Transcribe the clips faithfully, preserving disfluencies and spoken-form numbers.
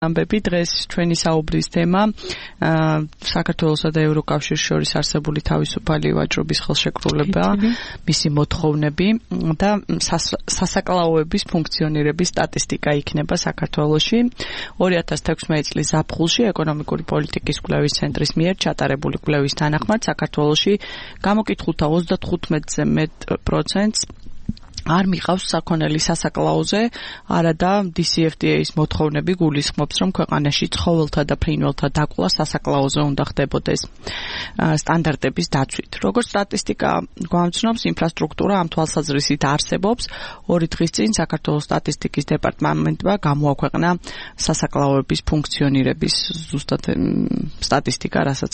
ამბები დღეს ჩვენი საუბრის თემა საქართველოსა და ევროკავშირის შორის არსებული თავისუფალი ვაჭრობის ხელშეკრულება, მისი მოთხოვნები და სასაკლაოების ფუნქციონირების სტატისტიკა იქნება საქართველოში. ორი ათას თექვსმეტი წლის ზაფხულში ეკონომიკური პოლიტიკის კვლევის ცენტრის მიერ ჩატარებული კვლევის თანახმად საქართველოში გამოკითხულთა ოცდათხუთმეტზე მეტ პროცენტს არ მიყავს საქონელი სასაკლაოზე, არადა დი სი ეფ დი ეის მოთხოვნები გულისხმობს, რომ ქვეყანაში ცხოველთა და ფრინველთა დაკვლა სასაკლაოზე უნდა ხდებოდეს სტანდარტების დაცვით. Როგორც სტატისტიკა გვამცნობს, ინფრასტრუქტურა ამ თვალსაზრისით არსებობს. ორი დღის წინ საქართველოს სტატისტიკის დეპარტამენტმა გამოაქვეყნა სასაკლაოების ფუნქციონირების ზუსტად სტატისტიკა, რასაც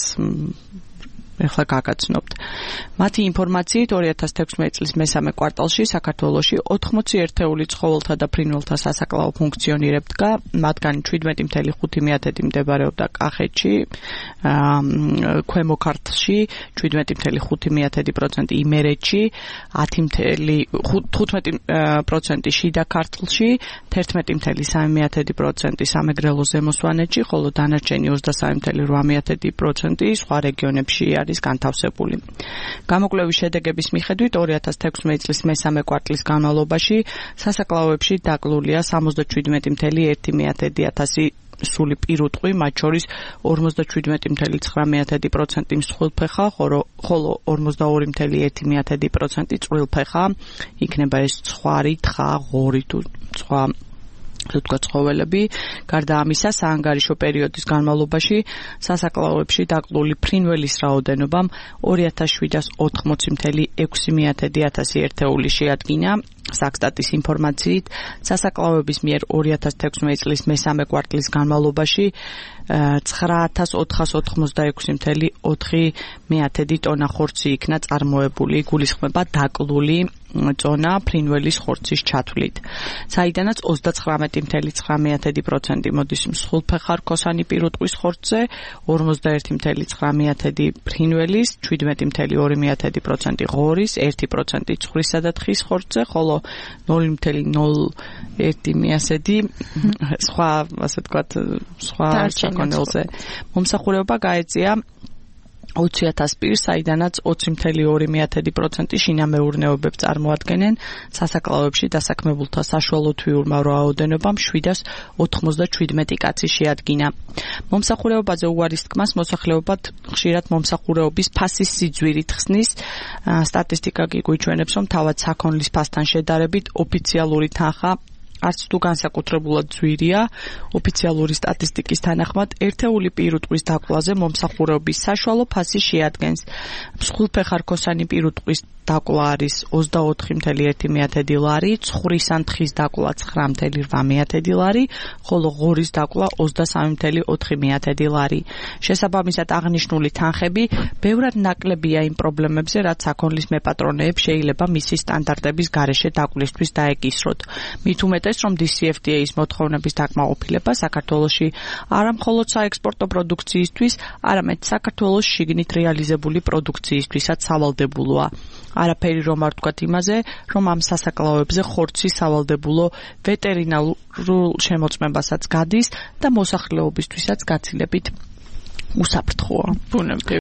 ეხლა გაგაცნობთ. მათი ინფორმაციით ორი ათას თექვსმეტი წლის მესამე კვარტალში საქართველოში ოთხმოცი ერთეული ცხოველთა და ფრინველთა სასაკლაო ფუნქციონირებდა, მათგან შვიდმეტი წუთი ხუთი მდებარეობდა კახეთში, ქვემო ქართლში, შვიდმეტი წუთი ხუთი პროცენტი იმერეთში, ათი თხუთმეტი პროცენტი შიდა ქართლში, თერთმეტი წუთი სამი პროცენტი სამეგრელო ზემო სვანეთში, ხოლო დანარჩენი ოცდასამი წუთი რვა პროცენტი სხვა რეგიონებში არის განთავსებული. გამოკვლევის შედეგების მიხედვით ორი ათას თექვსმეტი წლის მესამე კვარტლის განმავლობაში სასაკლაოებში დაკლულია სამოცდაშვიდმეტი წუთი ერთი ათასი სული პირუტყვი, მათ შორის ორმოცდაშვიდმეტი წუთი ცხრამეტი პროცენტი მსხვილფეხა, ხოლო ორმოცდაორი წუთი ერთი პროცენტი წვრილფეხა, იქნება ეს ცხვარი, თხა, ღორი თუ სხვა თუtka ცხოველები. გარდა ამისა, საანგარიშო პერიოდის განმავლობაში სასაკლაოებში დაკლული ფრინველის რაოდენობამ ორი ათას შვიდას ოთხმოცი წუთი ექვსი ათასი ერთეული შეადგინა. საქსტატის ინფორმაციით, სასაკლაოების მიერ ორი ათას თექვსმეტი წლის მესამე კვარტლის განმავლობაში ცხრა ათას ოთხას ოცდაექვსი წუთი ოთხი ტონა ხორცი იქნა წარმოებული, გულისხმება დაკლული წონა ფრინველის ხორცის ჩათვლით. საიდანაც ოცდაცხრამეტი წუთი ცხრა პროცენტი მოდის მსხვილფეხა რქოსანი პირუტყვის ხორცზე, ორმოცდაერთი წუთი ცხრა ფრინველის, შვიდმეტი წუთი ორი პროცენტი ღორის, ერთი პროცენტი ცხვრისა და თხის ხორცზე, ხოლო ნული წუთი ნული ერთი სხვა, ასე ვთქვათ, სხვა საქონელზე. მომსახურება გაეწია ოცი ათას პირს, საიდანაც ოცი წუთი ორი პროცენტი შინამეურნეობებს წარმოადგენენ. სასაკლაოებში დასაქმებულთა საშუალო თვიურმა რაოდენობამ შვიდას ოთხმოცდაშვიდმეტი კაცი შეადგინა. მომსახურებაზე უარის თქმას მოსახლეობად ხშირად მომსახურების ფასის სიძვირით ხსნის. სტატისტიკა კი გვიჩვენებს, რომ თავად საქონლის ფასთან შედარებით ოფიციალური თანხა არც თუ განსაკუთრებულად ძვირია. ოფიციალური სტატისტიკის თანახმად ერთეული პირუტყვის დაკვლაზე მომსახურების საშუალო ფასი შეადგენს. მსხვილფეხა რქოსანი პირუტყვის დაკლა არის ოცდაოთხი წუთი ერთი ლარი, ცხვრის ან თხის დაკლა ცხრა წუთი რვა ლარი, ხოლო ღორის დაკლა ოცდასამი წუთი ოთხი ლარი. შესაბამისად აღნიშნული თანხები ბევრად ნაკლებია იმ პრობლემებზე, რაც საქონლის მეპატრონეებს შეიძლება მისი სტანდარტების გარეშე დაკლისთვის დაეკისროთ. მით უმეტეს, რომ დი სი ეფ დი ეის მოთხოვნების დაკმაყოფილება საქართველოში არა მხოლოდ საექსპორტო პროდუქციისთვის, არამედ საქართველოს შიგნით რეალიზებული პროდუქციისთვისაც სავალდებულოა. არაფერი რომ არ ვთქვათ იმაზე, რომ ამ სასაკლაოებზე ხორცის სავალდებულო ვეტერინარულ შემოწმებასაც გადის და მოსახლეობისთვისაც გაცილებით უსაფრთხოა. ბუნებრივი